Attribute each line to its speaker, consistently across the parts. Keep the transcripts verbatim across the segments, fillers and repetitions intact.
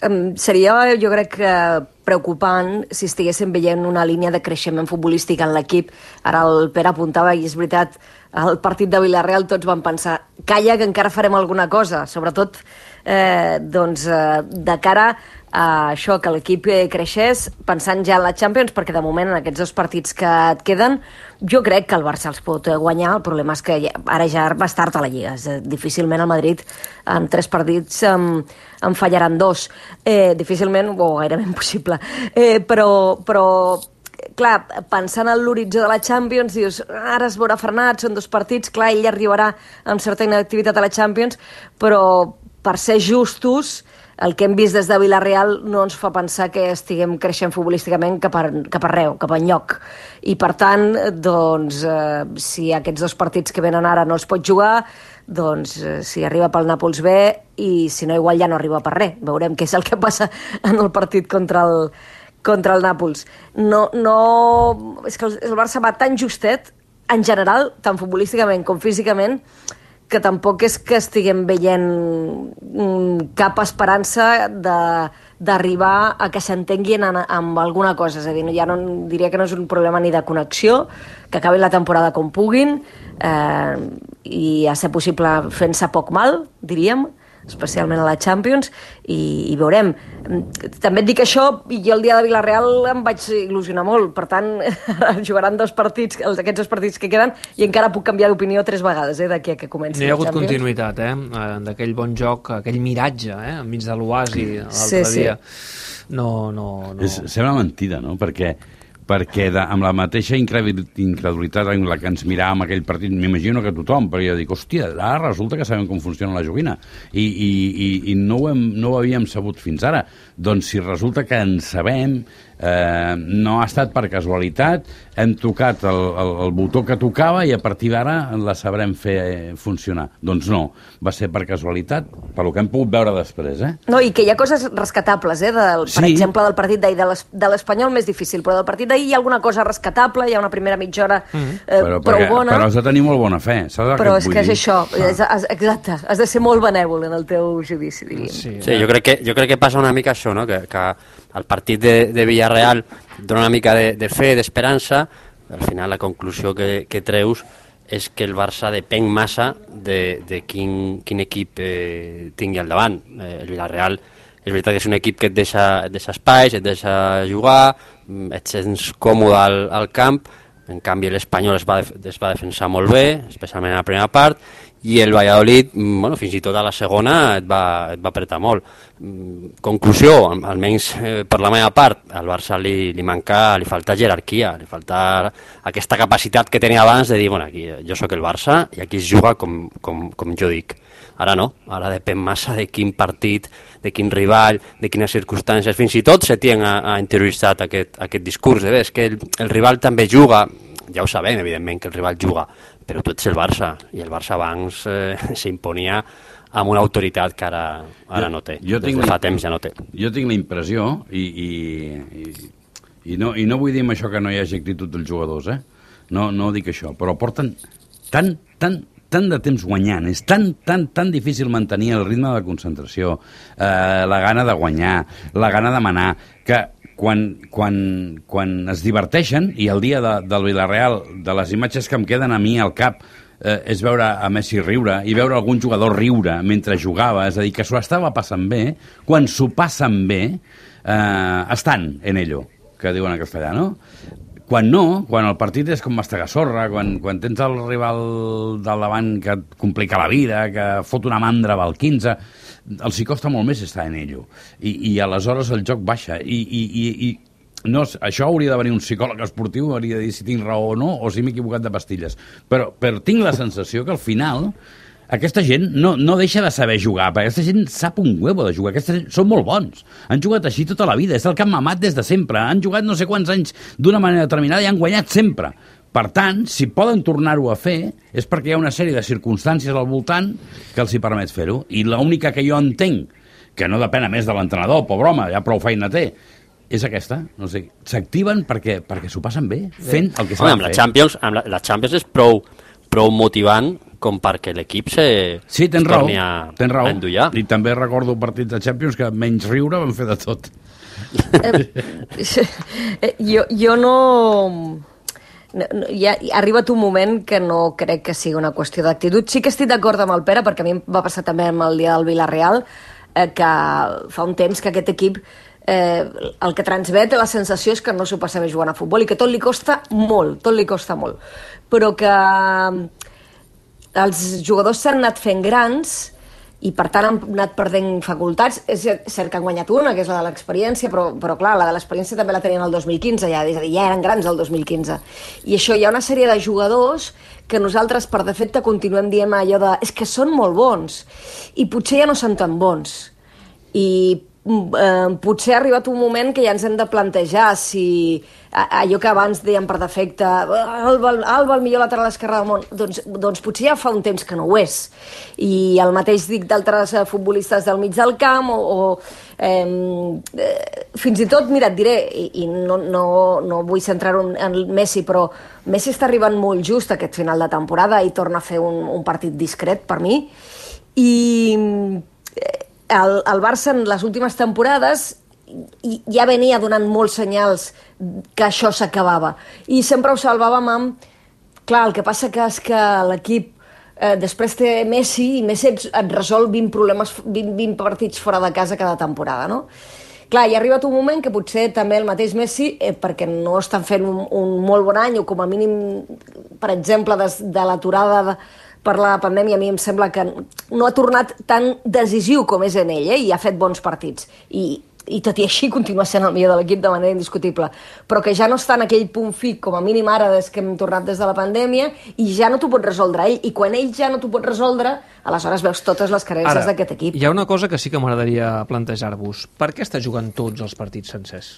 Speaker 1: Um, seria, jo crec que preocupant si estiguéssim veient una línia de creixement futbolístic en l'equip. Ara el Pere apuntava, i és veritat, al partit de Villarreal tots van pensar calla que encara farem alguna cosa, sobretot eh, doncs, eh, de cara a això, que l'equip creixés pensant ja en la Champions, perquè de moment en aquests dos partits que et queden jo crec que el Barça els pot guanyar. El problema és que ja, ara ja vas tard a la Lliga. Difícilment el Madrid en tres partits en, en fallaran dos. Eh, difícilment, o gairebé impossible. Eh, però, però clar, pensant en l'horitzó de la Champions, dius, ara es veurà frenat, són dos partits, clar, ell arribarà amb certa inactivitat a la Champions, però per ser justos, el que hem vist des de Villarreal no ens fa pensar que estiguem creixent futbolísticament cap, a, cap arreu, cap enlloc. I per tant, doncs, eh, si aquests dos partits que venen ara no els pot jugar, doncs eh, si arriba pel Nàpols bé, i si no igual ja no arriba per res. Veurem què és el que passa en el partit contra el, contra el Nàpols. No, no... És que el Barça va tan justet, en general, tant futbolísticament com físicament, que tampoc és que estiguem veient cap esperança d'arribar a que s'entenguin amb alguna cosa. És a dir, ja no, diria que no és un problema ni de connexió, que acabin la temporada com puguin, eh, i a ser possible fent-se poc mal, diríem, especialment a la Champions, i, i veurem. També et dic això, i jo el dia de Villarreal em vaig il·lusionar molt, per tant, jugaran dos partits, aquests dos partits que queden, i encara puc canviar d'opinió tres vegades, eh, d'aquí a que comenci
Speaker 2: la Champions. N'hi ha hagut continuïtat, eh, d'aquell bon joc, aquell miratge, eh, enmig de l'oasi l'altre
Speaker 1: sí,
Speaker 2: dia.
Speaker 1: Sí.
Speaker 2: No, no, no.
Speaker 3: És, sembla mentida, no?, perquè perquè de, amb la mateixa incredulitat en la que ens miràvem aquell partit, m'imagino que tothom, però jo dic, hòstia, ara resulta que sabem com funciona la joguina, i, i, i, i no, ho hem, no ho havíem sabut fins ara. Doncs si resulta que en sabem, eh, no ha estat per casualitat, hem tocat el, el, el botó que tocava i a partir d'ara la sabrem fer funcionar. Doncs no, va ser per casualitat, per lo que hem pogut veure després, eh?
Speaker 1: No, i que hi ha coses rescatables, eh? Del, per
Speaker 3: sí.
Speaker 1: exemple, del partit d'ahir, de l'Espanyol més difícil, però del partit d'ahir hi ha alguna cosa rescatable, hi ha una primera mitja hora eh,
Speaker 3: però,
Speaker 1: prou
Speaker 3: perquè,
Speaker 1: bona.
Speaker 3: Però has de tenir molt bona fe, saps el
Speaker 1: però
Speaker 3: que
Speaker 1: és
Speaker 3: vull
Speaker 1: que és
Speaker 3: dir?
Speaker 1: això, és, és, exacte, has de ser molt benèvol en el teu judici, diríem.
Speaker 4: Sí, sí jo, crec que, jo crec que passa una mica això, no? que, que el partit de, de Villarreal dona una mica de, de fe, d'esperança, al final la conclusió que, que treus és que el Barça depèn massa de, de quin, quin equip eh, tingui al davant. Eh, el Villarreal és veritat que és un equip que et deixa, et deixa espais, et deixa jugar, et sents còmode al, al camp, en canvi l'Espanyol es, va es va defensar molt bé, especialment a la primera part, i el Valladolid, bueno, fins i tot a la segona et va, et va apretar molt. Conclusió, almenys eh, per la meva part, al Barça li, li manca, li falta jerarquia, li falta aquesta capacitat que tenia abans de dir, bueno, aquí jo sóc el Barça i aquí es juga com, com, com jo dic. Ara no, ara depèn massa de quin partit, de quin rival, de quines circumstàncies. Fins i tot Setién ha, ha interioritzat aquest, aquest discurs. Eh? És que el, el rival també juga, ja ho sabem, evidentment, que el rival juga, però tu ets el Barça, i el Barça abans eh, s'imponia amb una autoritat que ara, ara jo, no té. Jo Des de fa temps ja no té.
Speaker 3: Jo tinc la impressió, i, i, i, i, no, i no vull dir amb això que no hi hagi actitud dels jugadors, eh? no, no dic això, però porten tan, tan, tant de temps guanyant, és tan, tan, tan difícil mantenir el ritme de concentració, eh, la gana de guanyar, la gana de manar, que quan, quan, quan es diverteixen, i el dia de, del Villarreal, de les imatges que em queden a mi al cap, eh, és veure a Messi riure, i veure algun jugador riure mentre jugava, és a dir, que s'ho estava passant bé, quan s'ho passen bé, eh, estan en ello, que diuen en castellà, no? Quan no, quan el partit és com mastegar sorra, quan, quan tens el rival del davant que et complica la vida, que fot una mandra val quinze, els hi costa molt més estar en ello. I, i aleshores el joc baixa. I, i, i, i no, això hauria de venir un psicòleg esportiu, hauria de dir si tinc raó o no, o si m'he equivocat de pastilles. Però, però tinc la sensació que al final aquesta gent no, no deixa de saber jugar, perquè aquesta gent sap un huevo de jugar, aquesta gent són molt bons, han jugat així tota la vida, és el que han mamat des de sempre, han jugat no sé quants anys d'una manera determinada i han guanyat sempre. Per tant, si poden tornar-ho a fer, és perquè hi ha una sèrie de circumstàncies al voltant que els hi permet fer-ho, i l'única que jo entenc, que no depèn a més de l'entrenador, pobre home, ja prou feina té, és aquesta, no sé, s'activen perquè, perquè s'ho passen bé, fent el que s'ha de fer.
Speaker 4: Amb la Champions, amb la, la Champions és prou, prou motivant com perquè l'equip se
Speaker 3: sí, tens
Speaker 4: es
Speaker 3: raó,
Speaker 4: torni a,
Speaker 3: tens raó.
Speaker 4: a endollar.
Speaker 3: I també recordo partits de Champions que menys riure van fer de tot.
Speaker 1: Eh, jo, jo no... No, no, ja, ha arribat un moment que no crec que sigui una qüestió d'actitud. Sí que estic d'acord amb el Pere, perquè a mi em va passar també amb el dia del Villarreal, eh, que fa un temps que aquest equip eh, el que transmet la sensació és que no s'ho passa bé jugant a futbol i que tot li costa molt, tot li costa molt. Però que els jugadors s'han anat fent grans i per tant han anat perdent facultats. És cert que han guanyat una, que és la de l'experiència, però, però clar, la de l'experiència també la tenien el dos mil quinze ja, és a dir, ja eren grans el dos mil quinze. I això hi ha una sèrie de jugadors que nosaltres per defecte continuem dient allò de és que són molt bons i potser ja no són tan bons. I eh, potser ha arribat un moment que ja ens hem de plantejar si allò que abans dèiem per defecte Alba, Alba el millor lateral esquerre del món, doncs, doncs potser ja fa un temps que no ho és. I el mateix dic d'altres futbolistes del mig del camp o, o eh, fins i tot, mira, et diré i, i no, no, no vull centrar-ho en Messi, però Messi està arribant molt just aquest final de temporada i torna a fer un, un partit discret per mi i el, el Barça en les últimes temporades i ja venia donant molts senyals que això s'acabava. I sempre ho salvàvem amb... Clar, el que passa que és que l'equip eh, després té Messi i Messi et, et resol vint problemes, vint, vint partits fora de casa cada temporada, no? Clar, hi ha arribat un moment que potser també el mateix Messi, eh, perquè no estan fent un, un molt bon any, o com a mínim, per exemple, des, de l'aturada de, per la pandèmia, a mi em sembla que no ha tornat tan decisiu com és en ell, eh, i ha fet bons partits. I i tot i així continua sent el millor de l'equip de manera indiscutible, però que ja no està en aquell punt fi, com a mínim ara des que hem tornat des de la pandèmia, i ja no t'ho pot resoldre ell, i quan ell ja no t'ho pot resoldre, aleshores veus totes les carències d'aquest equip.
Speaker 2: Hi ha una cosa que sí que m'agradaria plantejar-vos. Per què està jugant tots els partits sencers?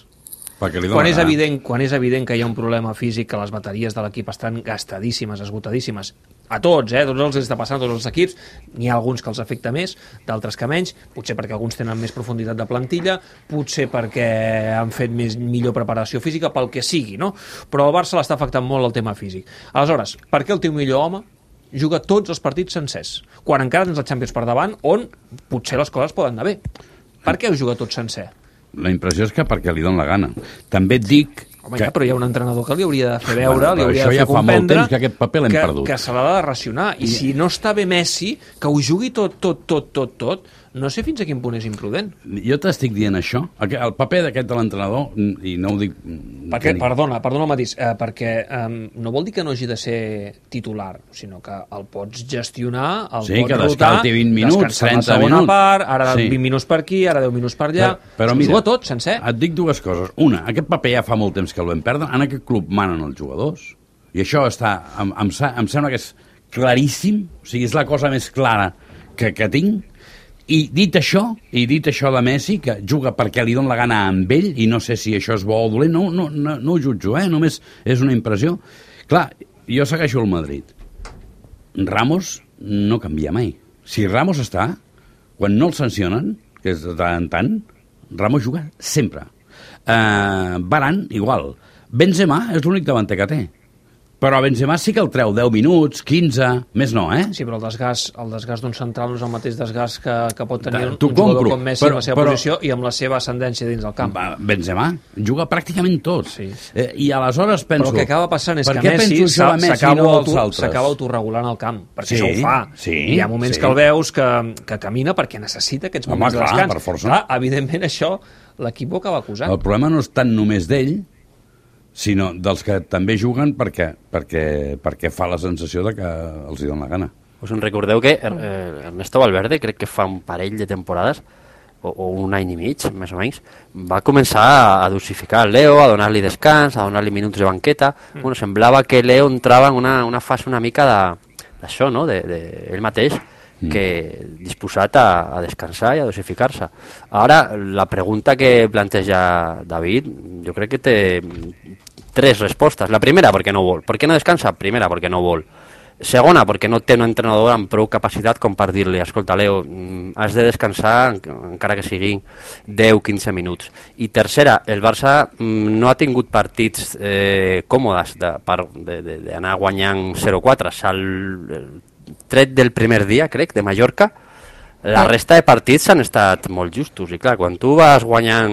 Speaker 2: Quan és, evident, quan és evident que hi ha un problema físic, que les bateries de l'equip estan gastadíssimes, esgotadíssimes, a tots, eh? Tots els està passant, tots els equips, n'hi ha alguns que els afecta més, d'altres que menys, potser perquè alguns tenen més profunditat de plantilla, potser perquè han fet més, millor preparació física, pel que sigui, no? Però al Barça l'està afectant molt el tema físic. Aleshores, per què el teu millor home juga tots els partits sencers, quan encara tens la Champions per davant, on potser les coses poden anar bé? Per què ho juga tot sencer?
Speaker 3: La impressió és que perquè li don la gana. També et dic...
Speaker 2: Home,
Speaker 3: que...
Speaker 2: ja, però hi ha un entrenador que li hauria de fer veure,
Speaker 3: bueno,
Speaker 2: li hauria de fer
Speaker 3: ja
Speaker 2: comprendre
Speaker 3: que aquest paper l'hem
Speaker 2: que,
Speaker 3: perdut.
Speaker 2: que se l'ha de racionar. I, I si no està bé Messi, que ho jugui tot, tot, tot, tot, tot, no sé fins a quin punt és imprudent.
Speaker 3: Jo t'estic dient això. El paper d'aquest de l'entrenador, i no ho dic...
Speaker 2: Perquè, perdona, perdona el matís, eh, perquè eh, no vol dir que no hagi de ser titular, sinó que el pots gestionar, el
Speaker 3: sí,
Speaker 2: pots
Speaker 3: que
Speaker 2: rotar,
Speaker 3: vint minuts,
Speaker 2: descansar la segona
Speaker 3: minuts.
Speaker 2: part, ara
Speaker 3: sí.
Speaker 2: vint minuts per aquí, ara deu minuts per allà, però, però mira, juga tot, sencer.
Speaker 3: Et dic dues coses. Una, aquest paper ja fa molt temps que el vam perdre, en aquest club manen els jugadors, i això està, em, em, em sembla que és claríssim, o sigui, és la cosa més clara que, que tinc. I dit això, i dit això de Messi, que juga perquè li dona la gana amb ell, i no sé si això és bo o dolent, no, no, no, no ho jutjo, eh? Només és una impressió. Clar, jo segueixo el Madrid. Ramos no canvia mai. Si Ramos està, quan no el sancionen, que és de tant en tant, Ramos juga sempre. Uh, Varane, igual. Benzema és l'únic davanter que té. Però a Benzema sí que el treu deu minuts, quinze, més no, eh?
Speaker 2: Sí, però el desgast, el desgast d'un central no és el mateix desgast que, que pot tenir un,
Speaker 3: un
Speaker 2: jugador com Messi
Speaker 3: però,
Speaker 2: en la seva
Speaker 3: però,
Speaker 2: posició i amb la seva ascendència dins del camp.
Speaker 3: Benzema juga pràcticament tot. Sí. Eh, I aleshores penso...
Speaker 2: Però el que acaba passant és que Messi s'acaba no auto, autorregulant al camp, perquè sí, això ho fa.
Speaker 3: Sí,
Speaker 2: I hi ha moments
Speaker 3: sí.
Speaker 2: que el veus que, que camina perquè necessita aquests moments
Speaker 3: Home, clar,
Speaker 2: de descans.
Speaker 3: Per força.
Speaker 2: Clar, evidentment això l'equip ho acaba acusant.
Speaker 3: El problema no és tant només d'ell, sinó dels que també juguen perquè, perquè, perquè fa la sensació de que els hi dona la gana.
Speaker 4: Us en recordeu que eh, Ernesto Valverde, crec que fa un parell de temporades, o, o un any i mig, més o menys, va començar a dosificar el Leo, a donar-li descans, a donar-li minuts de banqueta. Mm. Bueno, semblava que Leo entrava en una, una fase una mica d'això, no?, de, de ell mateix, que disposat a, a descansar i a dosificar-se. Ara, la pregunta que planteja David, jo crec que té tres respostes. La primera, perquè no vol. Per què no descansa? Primera, perquè no vol. Segona, perquè no té un entrenador amb prou capacitat com per dir-li, escolta, Leo, has de descansar encara que siguin deu a quinze minuts. I tercera, el Barça no ha tingut partits eh, còmodes d'anar guanyant zero quatre. Sal tret del primer dia, crec, de Mallorca, la resta de partits han estat molt justos. I clar, quan tu vas guanyant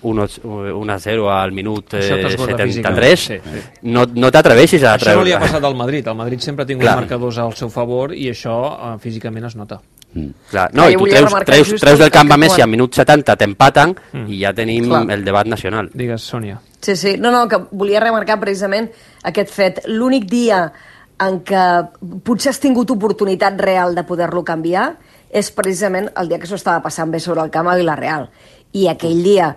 Speaker 4: un a zero al minut eh, setanta-tres, sí, sí. no, no t'atreveixis a treure.
Speaker 2: Això no li ha passat al Madrid. El Madrid sempre ha tingut clar. marcadors al seu favor i això eh, físicament es nota.
Speaker 4: Mm. Clar, no, i tu treus, treus, treus del camp a Messi al minut setanta, t'empaten mm. i ja tenim clar. el debat nacional.
Speaker 2: Digues, Sònia.
Speaker 1: Sí, sí. No, no, que volia remarcar precisament aquest fet. L'únic dia en què potser has tingut oportunitat real de poder-lo canviar és precisament el dia que s'ho estava passant bé sobre el camp a Vilareal. I aquell dia,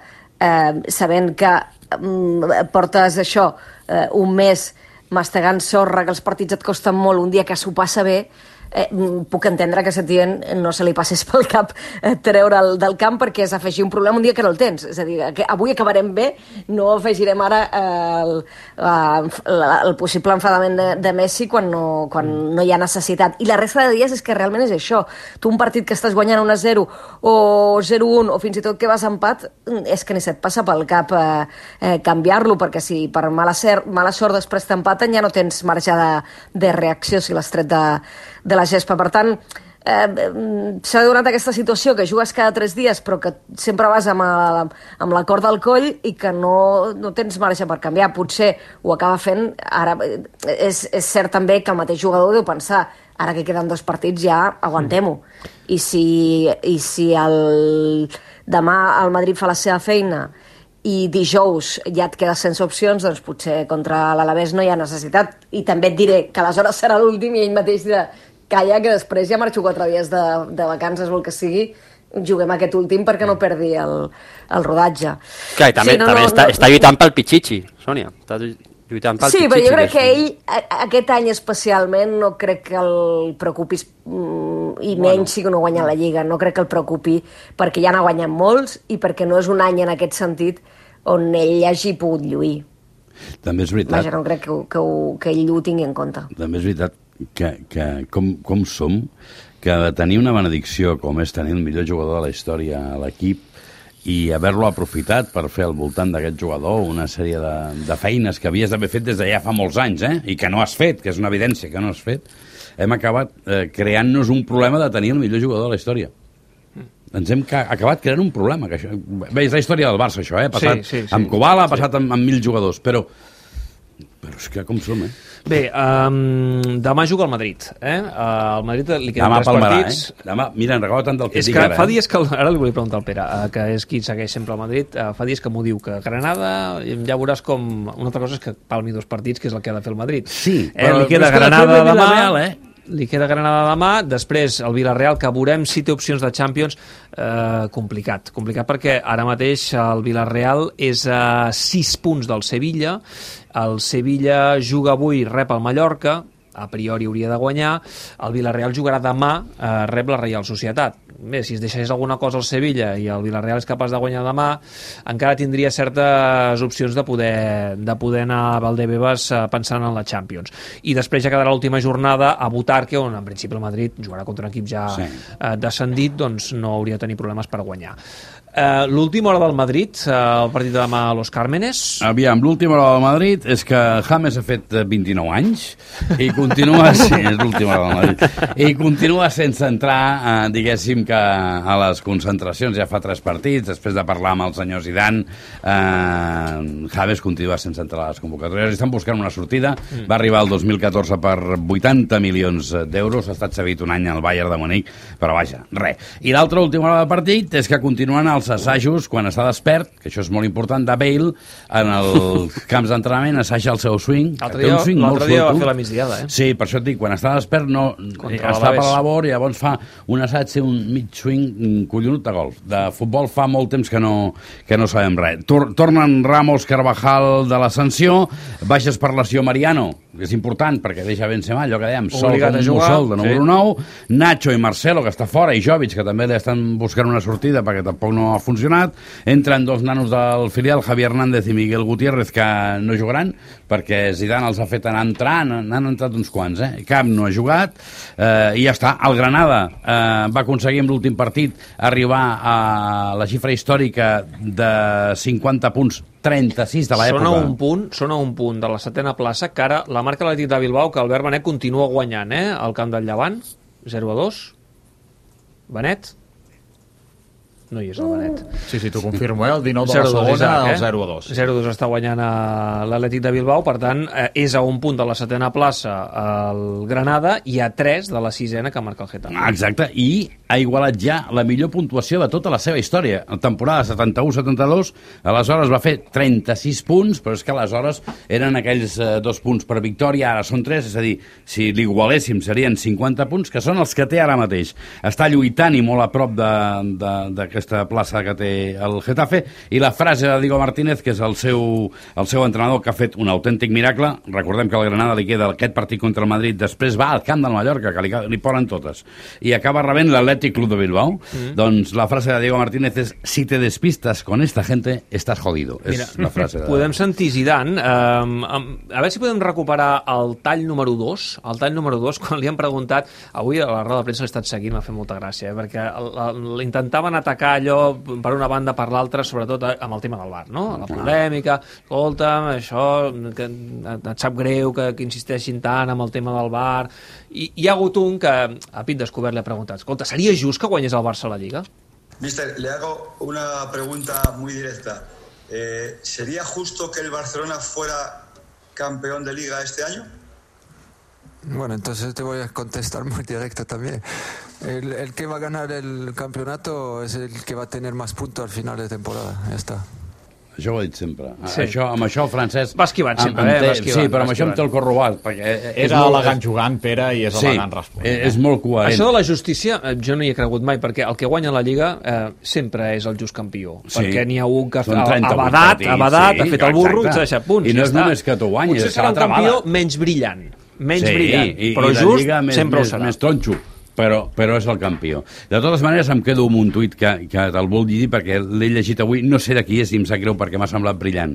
Speaker 1: eh, sabent que eh, portes això, eh, un mes mastegant sorra, que els partits et costen molt, un dia que s'ho passa bé, eh, puc entendre que a Setién no se li passés pel cap eh, treure'l del camp perquè és afegir un problema un dia que no el tens. És a dir, que avui acabarem bé, no afegirem ara eh, el, el, el possible enfadament de, de Messi quan, no, quan no hi ha necessitat. I la resta de dies és que realment és això. Tu un partit que estàs guanyant un a zero o zero a un o fins i tot que vas a empat, és que ni se't passa pel cap eh, eh, canviar-lo, perquè si per mala, ser, mala sort després t'empaten ja no tens marge de, de reacció si l'has tret de, de la gespa. Per tant, eh, s'ha donat aquesta situació que jugues cada tres dies però que sempre vas amb, a, amb la corda al coll i que no, no tens marge per canviar. Potser ho acaba fent ara. És, és cert també que el mateix jugador deu pensar ara que queden dos partits ja aguantem-ho. I si, i si el, demà el Madrid fa la seva feina i dijous ja et quedes sense opcions, doncs potser contra l'Alavés no hi ha necessitat. I també et diré que aleshores serà l'últim i ell mateix dirà calla, que després ja marxo quatre dies de, de vacances o el que sigui, juguem aquest últim perquè no perdi el, el rodatge.
Speaker 4: Clar, i també, sí, no, també no, està, no, està lluitant pel Pichichi, Sònia. Està lluitant pel
Speaker 1: sí,
Speaker 4: Pichichi.
Speaker 1: Però jo crec que ell, aquest any especialment, no crec que el preocupis, i menys bueno. si no guanya la Lliga, no crec que el preocupi, perquè ja n'ha guanyat molts i perquè no és un any en aquest sentit on ell hagi pogut lluir.
Speaker 3: També és veritat.
Speaker 1: Vaja, no crec que, que, que ell ho tingui en compte.
Speaker 3: També és veritat que, que com, com som, que de tenir una benedicció com és tenir el millor jugador de la història a l'equip i haver-lo aprofitat per fer al voltant d'aquest jugador una sèrie de, de feines que havies d'haver fet des de ja fa molts anys, eh? I que no has fet, que és una evidència que no has fet, hem acabat eh, creant-nos un problema de tenir el millor jugador de la història. Ens hem acabat creant un problema. Que això, bé, és la història del Barça, això, eh? Ha passat sí, sí, sí. amb Kubala, ha passat sí. amb, amb mil jugadors, però... Però és que com som, eh?
Speaker 2: Bé, um, demà juga el Madrid, eh? Uh, el Madrid li queden
Speaker 3: demà
Speaker 2: tres
Speaker 3: palmarà,
Speaker 2: partits.
Speaker 3: Eh? Demà, mira, en recorda tant del que
Speaker 2: és
Speaker 3: dic
Speaker 2: que
Speaker 3: ara.
Speaker 2: Fa
Speaker 3: eh?
Speaker 2: dies que, ara li volia preguntar al Pere, uh, que és qui segueix sempre el Madrid, uh, fa dies que m'ho diu, que Granada, ja veuràs com... Una altra cosa és que palmi dos partits, que és el que ha de fer el Madrid.
Speaker 3: Sí,
Speaker 2: eh,
Speaker 3: però
Speaker 2: li queda Granada demà...
Speaker 3: Real, eh?
Speaker 2: Li queda Granada demà, després el Villarreal, que veurem si té opcions de Champions, eh, complicat. Complicat perquè ara mateix el Villarreal és a sis punts del Sevilla, el Sevilla juga avui, rep el Mallorca, a priori hauria de guanyar, el Villarreal jugarà demà, eh, rep la Reial Societat. Bé, si es deixés alguna cosa al Sevilla i el Villarreal és capaç de guanyar demà, encara tindria certes opcions de poder, de poder anar a Valdebebas pensant en la Champions. I després ja quedarà l'última jornada a Butarque, on en principi el Madrid jugarà contra un equip ja sí. eh, descendit, doncs no hauria de tenir problemes per guanyar. Uh, l'última hora del Madrid, uh, el partit de demà a Los Cármenes.
Speaker 3: Aviam, l'última hora del Madrid és que James ha fet vint-i-nou anys i continua sí, és l'última hora del Madrid i continua sense entrar, uh, diguéssim que a les concentracions. Ja fa tres partits, després de parlar amb el senyor Zidane, uh, James continua sense entrar a les convocatòries. Estan buscant una sortida, mm. va arribar el dos mil catorze per vuitanta milions d'euros, ha estat cedit un any al Bayern de Munic, però vaja, res. I l'altra última hora del partit és que continuen els assajos quan està despert, que això és molt important, de Bale en els camps d'entrenament, assaja el seu swing.
Speaker 2: L'altre dia,
Speaker 3: swing
Speaker 2: l'altre dia va fer la migdiada, eh?
Speaker 3: Sí, per això et dic, quan està despert no
Speaker 2: Contra
Speaker 3: està per la labor i llavors fa un assaig, un mig swing collonut de golf. De futbol fa molt temps que no, que no sabem res. Tor tornen Ramos, Carvajal de l'ascensió, baixes per lesió Mariano, és important perquè deixa Benzema, allò que dèiem, sol com un mussol de número sí. nou, Nacho i Marcelo, que està fora, i Jovic, que també li estan buscant una sortida perquè tampoc no ha funcionat. Entren dos nanos del filial, Javier Hernández i Miguel Gutiérrez, que no jugaran perquè Zidane els ha fet anar entrar, n'han entrat uns quants, eh? Cap no ha jugat, eh, i ja està. El Granada eh, va aconseguir amb l'últim partit arribar a la xifra històrica de cinquanta punts trenta-sis de l'època.
Speaker 2: Són a un punt, són a un punt de la setena plaça, que ara la marca l'Atlètic de Bilbao, que Albert Benet continua guanyant, eh? Al camp del Llevant, zero a dos. Benet? No hi és el Benet.
Speaker 5: Sí, sí, t'ho confirmo, eh? El dinou de la segona, el zero a dos.
Speaker 2: zero a dos està guanyant a l'Atlètic de Bilbao, per tant, eh, és a un punt de la setena plaça el Granada i a tres de la sisena que marca el Getafe.
Speaker 3: Exacte, i ha igualat ja la millor puntuació de tota la seva història. En temporada setanta-u setanta-dos, aleshores va fer trenta-sis punts, però és que aleshores eren aquells eh, dos punts per victòria, ara són tres, és a dir, si l'igualéssim serien cinquanta punts, que són els que té ara mateix. Està lluitant i molt a prop d'aquest aquesta plaça que té el Getafe, i la frase de Diego Martínez, que és el seu, el seu entrenador, que ha fet un autèntic miracle. Recordem que al Granada li queda aquest partit contra el Madrid, després va al camp del Mallorca, que li, li ponen totes, i acaba rebent l'Atlètic Club de Bilbao. Mm. Doncs la frase de Diego Martínez és: si te despistas con esta gente, estás jodido.
Speaker 2: Mira,
Speaker 3: és la frase de...
Speaker 2: podem sentir Zidane, um, um, a veure si podem recuperar el tall número dos, el tall número dos, quan li han preguntat, avui a la roda de premsa l'he estat seguint, m'ha fet molta gràcia, eh, perquè l'intentaven atacar allò per una banda per l'altra, sobretot amb el tema del V A R, no? La polèmica, escolta'm, això, que et sap greu que, que insisteixin tant amb el tema del V A R, i hi ha hagut un que a pit descobert li ha preguntat: escolta, seria just que guanyés el Barça a la Lliga?
Speaker 6: Mister, le hago una pregunta muy directa. Eh, ¿Sería justo que el Barcelona fuera campeón de Liga este año?
Speaker 7: Bueno, entonces te voy a contestar muy directo también. El, el que va a ganar el campeonato es el que va a tener más puntos al final de temporada. Ya está.
Speaker 3: Això ho he dit sempre.
Speaker 2: Sí.
Speaker 3: Això, amb això, Francesc...
Speaker 2: Va esquivant sempre,
Speaker 3: em, em
Speaker 2: eh?
Speaker 3: té,
Speaker 2: Va esquivant,
Speaker 3: sí, però
Speaker 2: va
Speaker 3: amb això em té el cor robat. Perquè és,
Speaker 5: és
Speaker 3: molt,
Speaker 5: elegant jugant, Pere, i és
Speaker 3: sí,
Speaker 5: elegant responent.
Speaker 3: És, és molt coherent.
Speaker 2: Això de la justícia, jo no hi he cregut mai, perquè el que guanya la Lliga eh, sempre és el just campió. Sí. Perquè n'hi ha un que ha badat, ha badat, sí, ha fet el burro i s'ha deixat punts.
Speaker 3: I no és només que t'ho guanyis.
Speaker 2: Potser serà un campió menys brillant, menys
Speaker 3: sí,
Speaker 2: brillant,
Speaker 3: i,
Speaker 2: però
Speaker 3: i
Speaker 2: just
Speaker 3: més,
Speaker 2: sempre
Speaker 3: més,
Speaker 2: ho serà.
Speaker 3: Més tronxo. Però, però és el campió. De totes maneres, em quedo amb un tuit que, que te'l vull dir perquè l'he llegit avui, no sé de qui és i em sap greu perquè m'ha semblat brillant.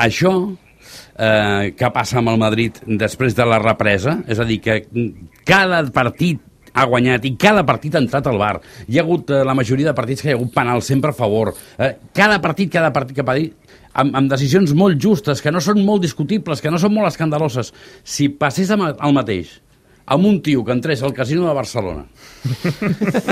Speaker 3: Això eh, que passa amb el Madrid després de la represa, és a dir, que cada partit ha guanyat i cada partit ha entrat al V A R. Hi ha hagut eh, la majoria de partits que hi ha hagut penal sempre a favor. Eh, cada partit, cada partit que ha dit, amb, amb decisions molt justes, que no són molt discutibles, que no són molt escandaloses. Si passés el mateix amb un tio que entrés al casino de Barcelona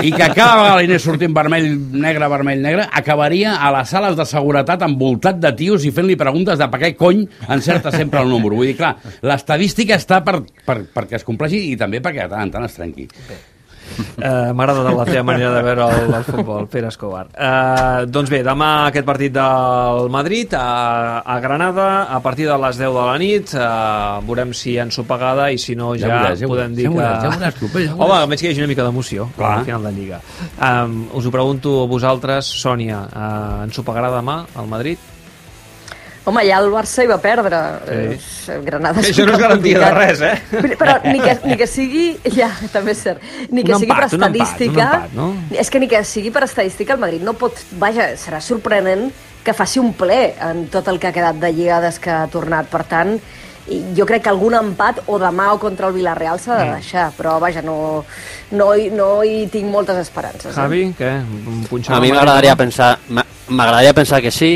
Speaker 3: i que cada vegada li anés sortint vermell, negre, vermell, negre, acabaria a les sales de seguretat envoltat de tios i fent-li preguntes de per què cony encerta sempre el número. Vull dir, clar, l'estadística està per, per, perquè es compleixi i també perquè de tant en tant es trenqui.
Speaker 2: Uh, M'agrada la teva manera de veure el, el futbol, Pere Escobar. Uh, doncs bé, demà aquest partit del Madrid a, a Granada a partir de les deu de la nit. Uh, veurem si hi ha ensopegada i si no ja, ja, veuràs, ja podem dir ja veuràs, que... Ja veuràs, ja veuràs. Home, almenys que hi hagi una mica d'emoció al final de Lliga. Um, us ho pregunto a vosaltres, Sònia, uh, ensopegarà demà al Madrid?
Speaker 1: Home, ja el Barça hi va perdre.
Speaker 2: Sí.
Speaker 1: Granada és
Speaker 2: això no és garantia de res, eh?
Speaker 1: Però ni que, ni que sigui... Ja, també és cert. Ni que
Speaker 2: un
Speaker 1: sigui
Speaker 2: empat,
Speaker 1: per estadística...
Speaker 2: Un empat, un empat, no?
Speaker 1: És que ni que sigui per estadística, el Madrid no pot... Vaja, serà sorprenent que faci un ple en tot el que ha quedat de lligades que ha tornat. Per tant, jo crec que algun empat o demà o contra el Villarreal s'ha de deixar, però vaja, no, no, hi, no hi tinc moltes esperances.
Speaker 2: Javi,
Speaker 1: eh?
Speaker 2: què? Un
Speaker 4: a mi m'agradaria pensar... M'agradaria pensar que sí,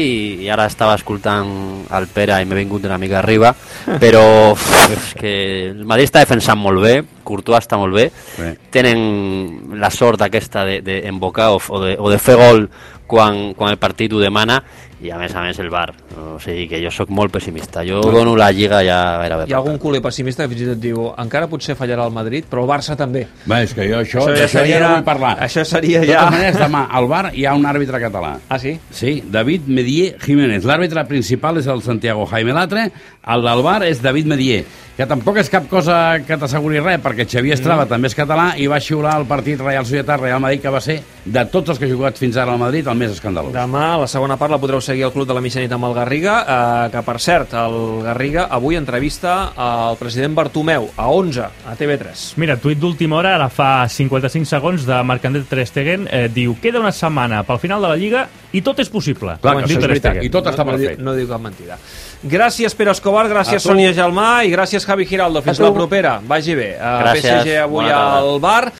Speaker 4: i ara estava escoltant el Pere i m'he vingut una mica arriba, però uf, és que el Madrid està defensant molt bé, Courtois està molt bé, sí. Tenen la sort aquesta d'embocar de, de o, de, o de fer gol quan, quan el partit ho demana, i a més a més el V A R. O sigui que jo sóc molt pessimista. Jo sí. dono la Lliga ja gairebé.
Speaker 2: Hi ha algun culer pessimista que fins i tot diu encara potser fallarà el Madrid, però el Barça també.
Speaker 3: Bé, és que jo això,
Speaker 2: això, ja,
Speaker 3: això
Speaker 2: seria,
Speaker 3: ja no vull parlar.
Speaker 2: Això seria ja...
Speaker 3: De totes maneres, demà al V A R hi ha un àrbitre català.
Speaker 2: Ah, sí?
Speaker 3: Sí, David Medier Jiménez. L'àrbitre principal és el Santiago Jaime Latre, el del V A R és David Medier, que tampoc és cap cosa que t'asseguri res, perquè Xavier Estrada mm. també és català i va xiular el partit Real Societat-Real Madrid, que va ser, de tots els que ha jugat fins ara al Madrid, el més escandalós.
Speaker 2: Demà, a la segona part, la podreu seguir al Club de la Mitjanit amb el Garriga, eh, que, per cert, el Garriga avui entrevista al president Bartomeu, a onze, a T V tres.
Speaker 8: Mira, tuit d'última hora, ara fa cinquanta-cinc segons, de Marc-André Ter Stegen, eh, diu, queda una setmana pel final de la Lliga i tot és possible.
Speaker 3: Clar, que això és veritat, i tot està
Speaker 2: no,
Speaker 3: per
Speaker 2: no,
Speaker 3: fer.
Speaker 2: No diu cap mentida. Gràcies, Pere Escobar, gràcies, Sònia Gelmà, i gràcies, Javi Giraldo. Fins la propera. Vagi bé. Uh, P S G avui al bar.